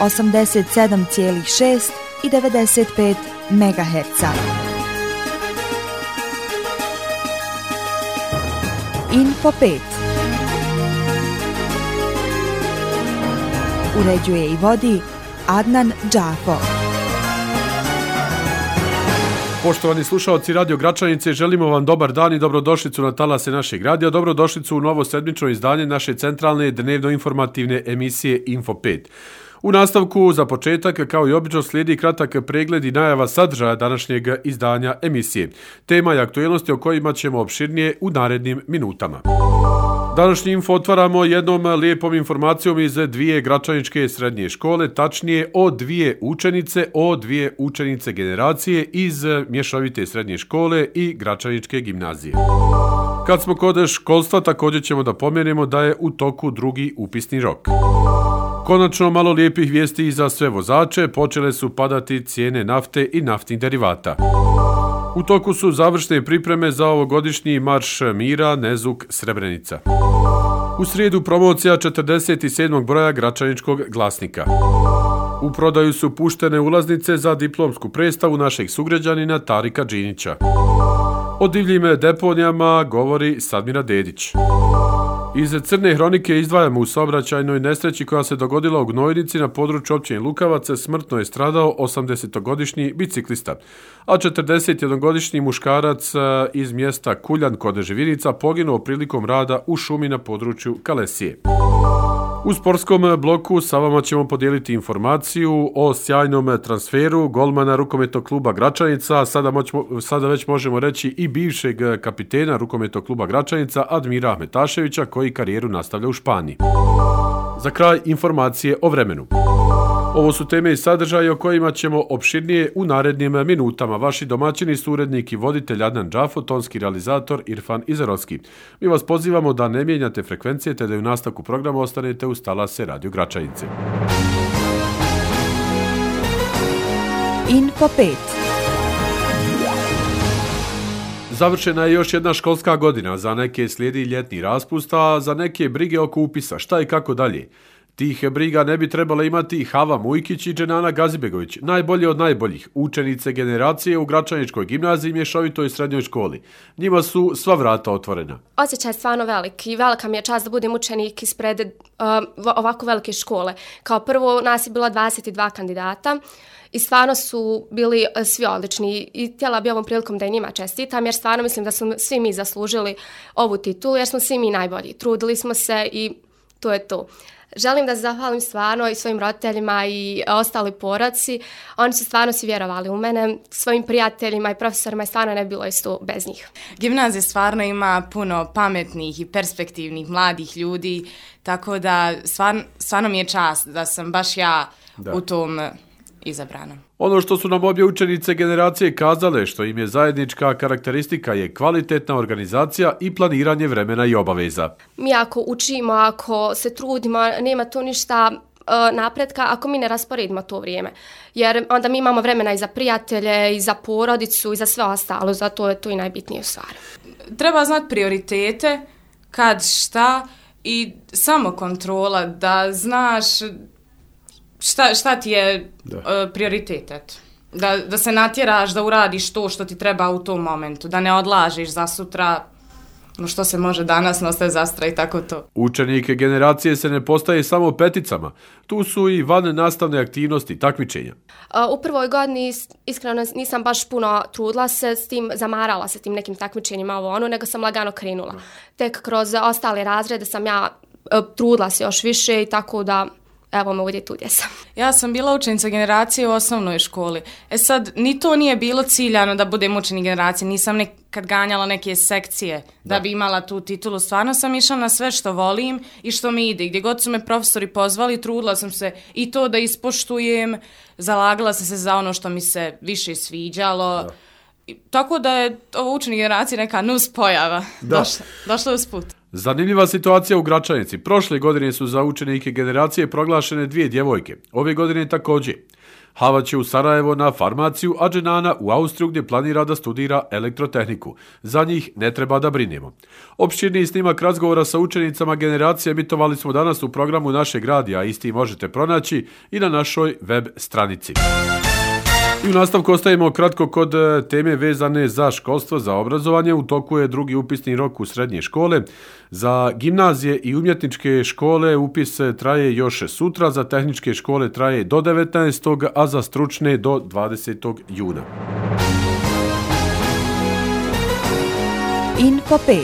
87,6 i 95 MHz. Info 5. Uređuje i vodi Adnan Džafo. Poštovani slušalci Radio Gračanice, želimo vam dobar dan i dobrodošlicu na talase našeg radija. Dobrodošlicu u novo sedmično izdanje naše centralne dnevno-informativne emisije Info 5. U nastavku, za početak, kao i obično, slijedi kratak pregled i najava sadržaja današnjeg izdanja emisije. Tema i aktualnosti o kojima ćemo opširnije u narednim minutama. Današnji info otvaramo jednom lijepom informacijom iz dvije gračaničke srednje škole, tačnije o dvije učenice generacije iz mješovite srednje škole i gračaničke gimnazije. Kad smo kod školstva, također ćemo da pomenemo da je u toku drugi upisni rok. Konačno malo lijepih vijesti i za sve vozače, počele su padati cijene nafte i naftnih derivata. U toku su završne pripreme za ovogodišnji marš mira Nezuk Srebrenica. U srijedu promocija 47. broja Gračaničkog glasnika. U prodaju su puštene ulaznice za diplomsku predstavu našeg sugrađanina Tarika Džinića. O divljim deponijama govori Sadmira Dedić. Iz crne hronike izdvajamo u saobraćajnoj nesreći koja se dogodila u Gnojnici na području općine Lukavac. Smrtno je stradao 80-godišnji biciklista, a 41-godišnji muškarac iz mjesta Kuljan kod Živinica poginuo prilikom rada u šumi na području Kalesije. U sportskom bloku sa vama ćemo podijeliti informaciju o sjajnom transferu golmana rukometnog kluba Gračanica, sada već možemo reći i bivšeg kapitena rukometnog kluba Gračanica Admira Ahmetaševića, koji karijeru nastavlja u Španiji. Za kraj informacije o vremenu. Ovo su teme i sadržaje o kojima ćemo opširnije u narednim minutama. Vaši domaćini su urednik i voditelj Adnan Džafo, tonski realizator Irfan Izerovski. Mi vas pozivamo da ne mijenjate frekvencije te da u nastavku programa ostanete uz talase Radio Gračanice. Info 5. Završena je još jedna školska godina, za neke slijedi ljetni raspust, a za neke brige oko upisa, šta i kako dalje. Tih briga ne bi trebala imati Hava Mujkić i Dženana Gazibegović, najbolje od najboljih, učenice generacije u Gračaničkoj gimnaziji i mješovitoj srednjoj školi. Njima su sva vrata otvorena. Osjećaj je stvarno velik i velika mi je čast da budem učenik ispred ovako velike škole. Kao prvo, nas je bilo 22 kandidata i stvarno su bili svi odlični i htjela bi ovom prilikom da i njima čestitam, jer stvarno mislim da smo svi mi zaslužili ovu titulu, jer smo svi mi najbolji. Trudili smo se i to je to. Želim da se zahvalim stvarno i svojim roditeljima i ostali porodci. Oni su stvarno svi vjerovali u mene, svojim prijateljima i profesorima, i stvarno ne bilo isto bez njih. Gimnazija stvarno ima puno pametnih i perspektivnih mladih ljudi, tako da stvarno mi je čast da sam baš ja u tom izabrana. Ono što su nam obje učenice generacije kazale, što im je zajednička karakteristika, je kvalitetna organizacija i planiranje vremena i obaveza. Mi ako učimo, ako se trudimo, nema tu ništa napretka ako mi ne rasporedimo to vrijeme. Jer onda mi imamo vremena i za prijatelje, i za porodicu, i za sve ostalo. Zato je to i najbitnije u stvari. Treba znati prioritete, kad, šta i samokontrola, da znaš šta ti je prioritet. Da se natjeraš da uradiš to što ti treba u tom momentu, da ne odlažiš za sutra, no što se može danas, nostaje za sutra i tako to. Učenike generacije se ne postaje samo peticama, tu su i van nastavne aktivnosti, takmičenja. U prvoj godini iskreno nisam baš puno trudila se s tim, zamarala se tim nekim takmičenjima nego sam lagano krenula. Tek kroz ostale razrede sam ja trudila se još više i tako da evo me ovdje tu gdje sam. Ja sam bila učenica generacije u osnovnoj školi. Sad, ni to nije bilo ciljano da budem učenik generacije. Nisam nekad ganjala neke sekcije da bi imala tu titulu. Stvarno sam išla na sve što volim i što mi ide. Gdje god su me profesori pozvali, trudila sam se i to da ispoštujem. Zalagala sam se za ono što mi se više sviđalo. Tako da je ovo učenik generacije neka nus pojava. Došla usput. Zanimljiva situacija u Gračanici. Prošle godine su za učenike generacije proglašene 2 djevojke. Ove godine također. Hava će u Sarajevo na farmaciju, a Dženana u Austriju gdje planira da studira elektrotehniku. Za njih ne treba da brinemo. Opširniji snimak razgovora sa učenicama generacije emitovali smo danas u programu našeg radija, isti možete pronaći i na našoj web stranici. I u nastavku ostajemo kratko kod teme vezane za školstvo, za obrazovanje. U toku je drugi upisni rok u srednje škole. Za gimnazije i umjetničke škole upis traje još sutra, za tehničke škole traje do 19. a za stručne do 20. juna. Info 5.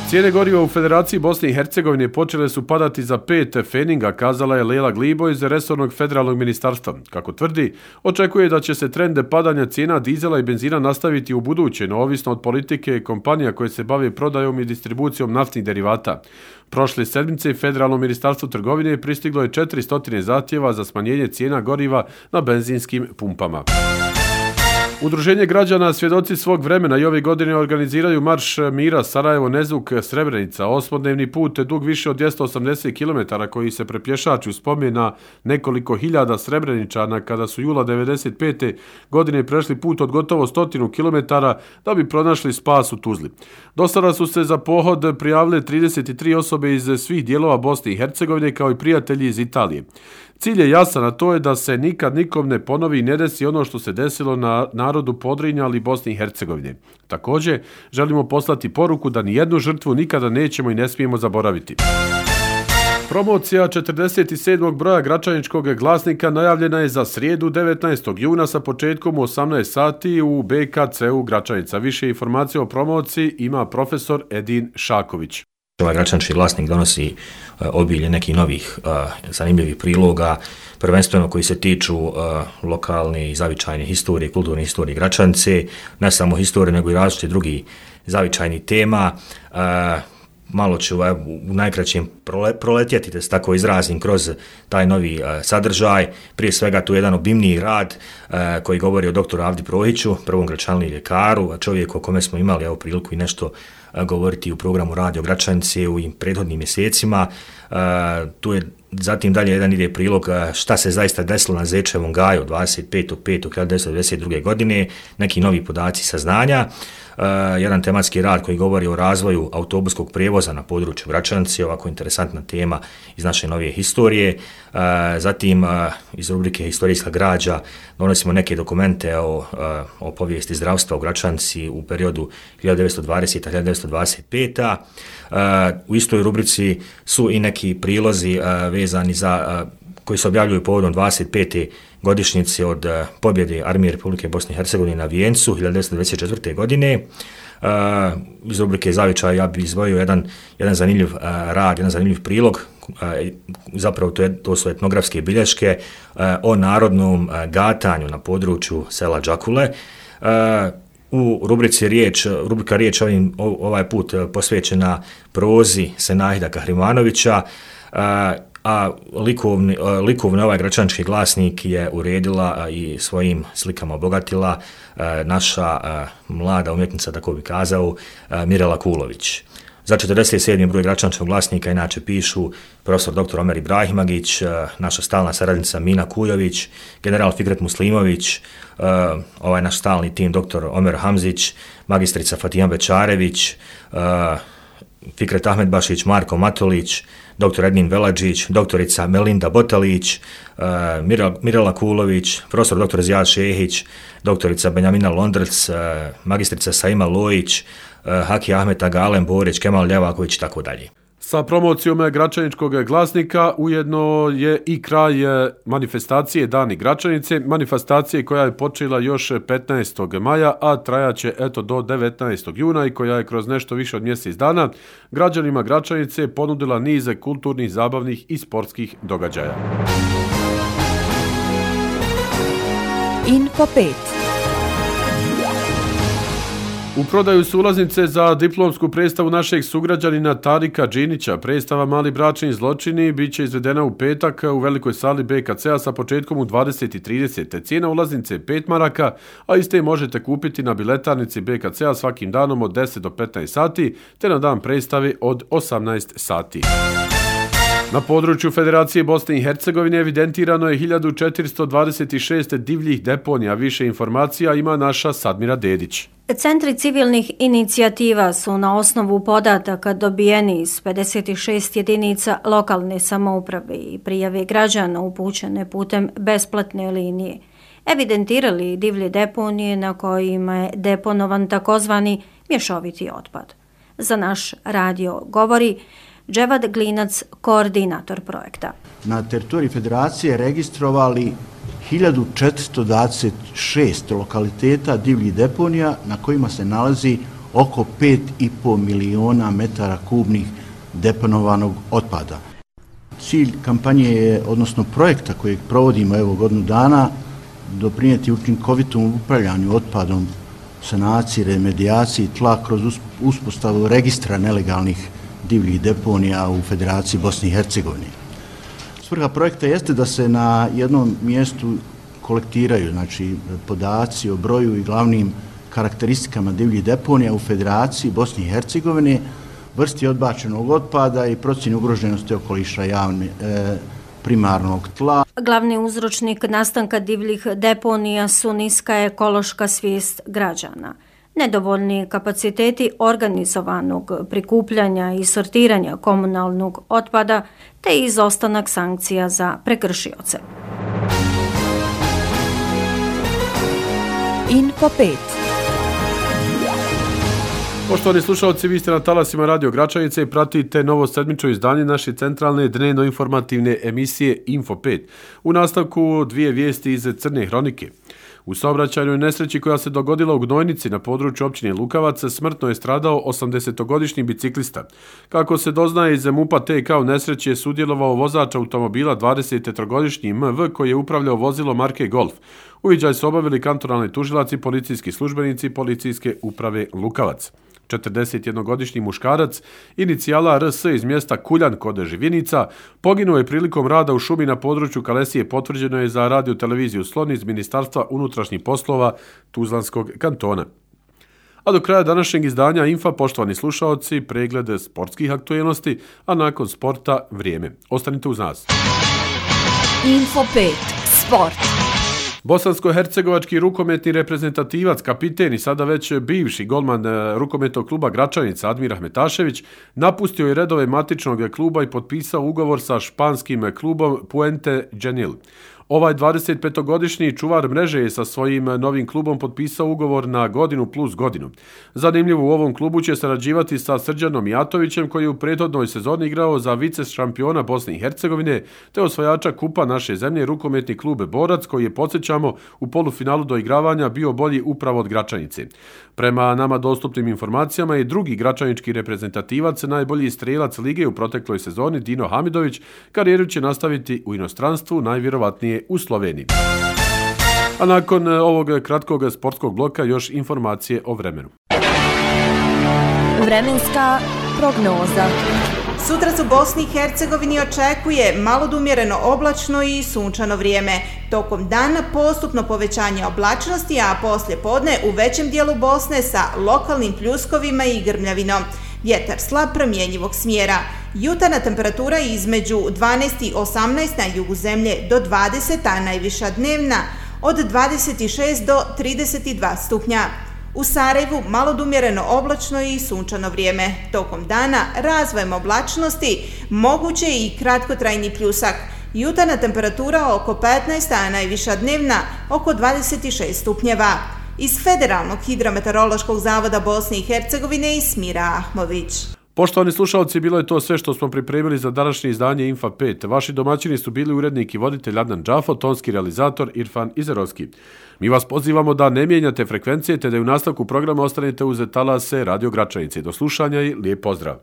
Cijene goriva u Federaciji Bosne i Hercegovine počele su padati za 5 feninga, kazala je Lela Glibo iz resornog federalnog ministarstva. Kako tvrdi, očekuje da će se trend padanja cijena dizela i benzina nastaviti u buduće, no ovisno od politike kompanija koje se bave prodajom i distribucijom naftnih derivata. Prošle sedmice Federalno ministarstvo trgovine pristiglo je 400 zahtjeva za smanjenje cijena goriva na benzinskim pumpama. Udruženje građana Svjedoci svog vremena i ove godine organiziraju Marš mira Sarajevo-Nezuk-Srebrenica, osmodnevni put dug više od 280 km koji se prepješači u spomen na nekoliko hiljada Srebreničana kada su jula 1995. godine prešli put od gotovo 100 km da bi pronašli spas u Tuzli. Do sada su se za pohod prijavile 33 osobe iz svih dijelova Bosne i Hercegovine kao i prijatelji iz Italije. Cilj je jasan, a to je da se nikad nikom ne ponovi i ne desi ono što se desilo na narodu Podrinja, ali i Bosne i Hercegovine. Također, želimo poslati poruku da nijednu žrtvu nikada nećemo i ne smijemo zaboraviti. Promocija 47. broja Gračaničkog glasnika najavljena je za srijedu 19. juna sa početkom u 18 sati u BKC-u Gračanica. Više informacija o promociji ima profesor Edin Šaković. Ovaj Gračanički glasnik donosi obilje nekih novih zanimljivih priloga, prvenstveno koji se tiču lokalne i zavičajne historije, kulturne historije Gračanice, ne samo historije nego i različite drugi zavičajnih tema. Malo ću u najkraćem proletjeti, da se tako izrazim, kroz taj novi sadržaj. Prije svega tu je jedan obimniji rad koji govori o doktoru Avdi Prohiću, prvom gračanliji ljekaru, čovjeku o kome smo imali priliku i nešto govoriti u programu Radio Gračanice u prethodnim mjesecima. Tu je zatim dalje jedan ide prilog šta se zaista desilo na Zečevom gaju 25.5.1992. godine, neki novi podaci saznanja, jedan tematski rad koji govori o razvoju autobuskog prijevoza na području Gračanice, ovako interesantna tema iz naše novije historije. Zatim iz rubrike Historijska građa donosimo neke dokumente o povijesti zdravstva u Gračanici u periodu 1920-1925. U istoj rubrici su i neki prilozi vezani za koji se objavljuju povodom 25. godišnjice od pobjede Armije Republike Bosne i Hercegovine na Vijencu 1924. godine. Iz rubrike Zavičaj ja bih izdvojio jedan zanimljiv rad, jedan zanimljiv prilog, zapravo to su etnografske bilješke o narodnom gatanju na području sela Đakule. U rubrika riječ ovaj put posvećena prozi Senahida Kahrimanovića, a likovni ovaj Gračanički glasnik je uredila i svojim slikama obogatila naša mlada umjetnica, tako bi kazao, Mirela Kulović. Za 47. broj Gračaničkog glasnika inače pišu profesor dr. Omer Ibrahimagić, naša stalna saradnica Mina Kujović, general Fikret Muslimović, ovaj naš stalni tim dr. Omer Hamzić, magistrica Fatijan Bečarević, Fikret Ahmedbašić, Marko Matolić, dr. Ednin Veladžić, doktorica Melinda Botalić, Mirela Kulović, profesor dr. Zijad Šehić, doktorica Benjamina Londrc, magistrica Saima Lojić, Haki Ahmet Agalen Borić, Kemal Ljevaković i tako dalje. Sa promocijom Gračaničkog glasnika ujedno je i kraj manifestacije Dani Gračanice, manifestacije koja je počela još 15. maja, a trajaće do 19. juna i koja je kroz nešto više od mjesec dana građanima Gračanice ponudila niz kulturnih, zabavnih i sportskih događaja. Info 5. U prodaju su ulaznice za diplomsku predstavu našeg sugrađanina Tarika Džinića. Predstava Mali bračni zločini bit će izvedena u petak u velikoj sali BKC-a sa početkom u 20:30. Cijena ulaznice je 5 maraka, a iste možete kupiti na biletarnici BKC-a svakim danom od 10 do 15 sati, te na dan predstave od 18 sati. Na području Federacije Bosne i Hercegovine evidentirano je 1426 divljih deponija. Više informacija ima naša Sadmira Dedić. Centri civilnih inicijativa su na osnovu podataka dobijeni iz 56 jedinica lokalne samouprave i prijave građana upućene putem besplatne linije evidentirali divlje deponije na kojima je deponovan takozvani mješoviti otpad. Za naš radio govori Dževad Glinac, koordinator projekta. Na teritoriji Federacije registrovali 1426 lokaliteta divljih deponija na kojima se nalazi oko 5,5 miliona metara kubnih deponovanog otpada. Cilj kampanje je, odnosno projekta kojeg provodimo evo godinu dana, doprinijeti učinkovitom upravljanju otpadom, sanaciji, remedijaciji tla kroz uspostavu registra nelegalnih divljih deponija u Federaciji Bosne i Hercegovine. Svrha projekta jeste da se na jednom mjestu kolektiraju podaci o broju i glavnim karakteristikama divljih deponija u Federaciji Bosne i Hercegovine, vrsti odbačenog otpada i procjeni ugroženosti okoliša primarnog tla. Glavni uzročnik nastanka divljih deponija su niska ekološka svijest građana, nedovoljni kapaciteti organizovanog prikupljanja i sortiranja komunalnog otpada te izostanak sankcija za prekršioce. Info 5. Poštovani slušalci, vi ste na talasima Radio Gračanice i pratite novo sedmično izdanje naše centralne dnevno-informativne emisije Info 5. U nastavku dvije vijesti iz Crne hronike. U saobraćajnoj nesreći koja se dogodila u Gnojnici na području općine Lukavac smrtno je stradao 80-godišnji biciklista. Kako se doznaje iz MUP-a TK u nesreći je sudjelovao vozač automobila 23-godišnji MV koji je upravljao vozilo marke Golf. Uviđaj su obavili kantonalni tužilac i policijski službenici policijske uprave Lukavac. 41-godišnji muškarac, inicijala RS iz mjesta Kuljan kod Živinica, poginuo je prilikom rada u šumi na području Kalesije, potvrđeno je za radio televiziju Slon iz Ministarstva unutrašnjih poslova Tuzlanskog kantona. A do kraja današnjeg izdanja Infa, poštovani slušaoci, pregled sportskih aktualnosti, a nakon sporta vrijeme. Ostanite uz nas. Info 5. Sport. Bosansko-hercegovački rukometni reprezentativac, kapiten i sada već bivši golman rukometnog kluba Gračanica Admir Ahmetašević napustio je redove matičnog kluba i potpisao ugovor sa španskim klubom Puente Genil. Ovaj 25-godišnji čuvar mreže je sa svojim novim klubom potpisao ugovor na godinu plus godinu. Zanimljivo, u ovom klubu će sarađivati sa Srđanom Jatovićem koji je u prethodnoj sezoni igrao za vice šampiona Bosne i Hercegovine te osvajača kupa naše zemlje rukometni klub Borac koji je, podsjećamo, u polufinalu doigravanja bio bolji upravo od Gračanice. Prema nama dostupnim informacijama je drugi gračanički reprezentativac, najbolji strelac lige u protekloj sezoni Dino Hamidović, karijeru će nastaviti u inostranstvu, najvjerovatnije u Sloveniji. A nakon ovog kratkog sportskog bloka još informacije o vremenu. Vremenska prognoza. Sutra se u Bosni i Hercegovini očekuje malo do umjereno oblačno i sunčano vrijeme. Tokom dana postupno povećanje oblačnosti, a poslije podne u većem dijelu Bosne sa lokalnim pljuskovima i grmljavinom. Vjetar slab promjenjivog smjera. Jutarnja temperatura između 12 i 18 na jugu zemlje do 20, a najviša dnevna od 26 do 32 stupnja. U Sarajevu malo do umjereno oblačno i sunčano vrijeme. Tokom dana razvojem oblačnosti moguće i kratkotrajni pljusak. Jutarnja temperatura oko 15, a najviša dnevna oko 26 stupnjeva. Iz Federalnog hidrometeorološkog zavoda Bosne i Hercegovine Ismira Ahmović. Poštovani slušalci, bilo je to sve što smo pripremili za današnje izdanje Infa 5. Vaši domaćini su bili urednik i voditelj Adnan Džafo, tonski realizator Irfan Izerovski. Mi vas pozivamo da ne mijenjate frekvencije te da u nastavku programa ostanete uz talase Radio Gračanice. Do slušanja i lijep pozdrav.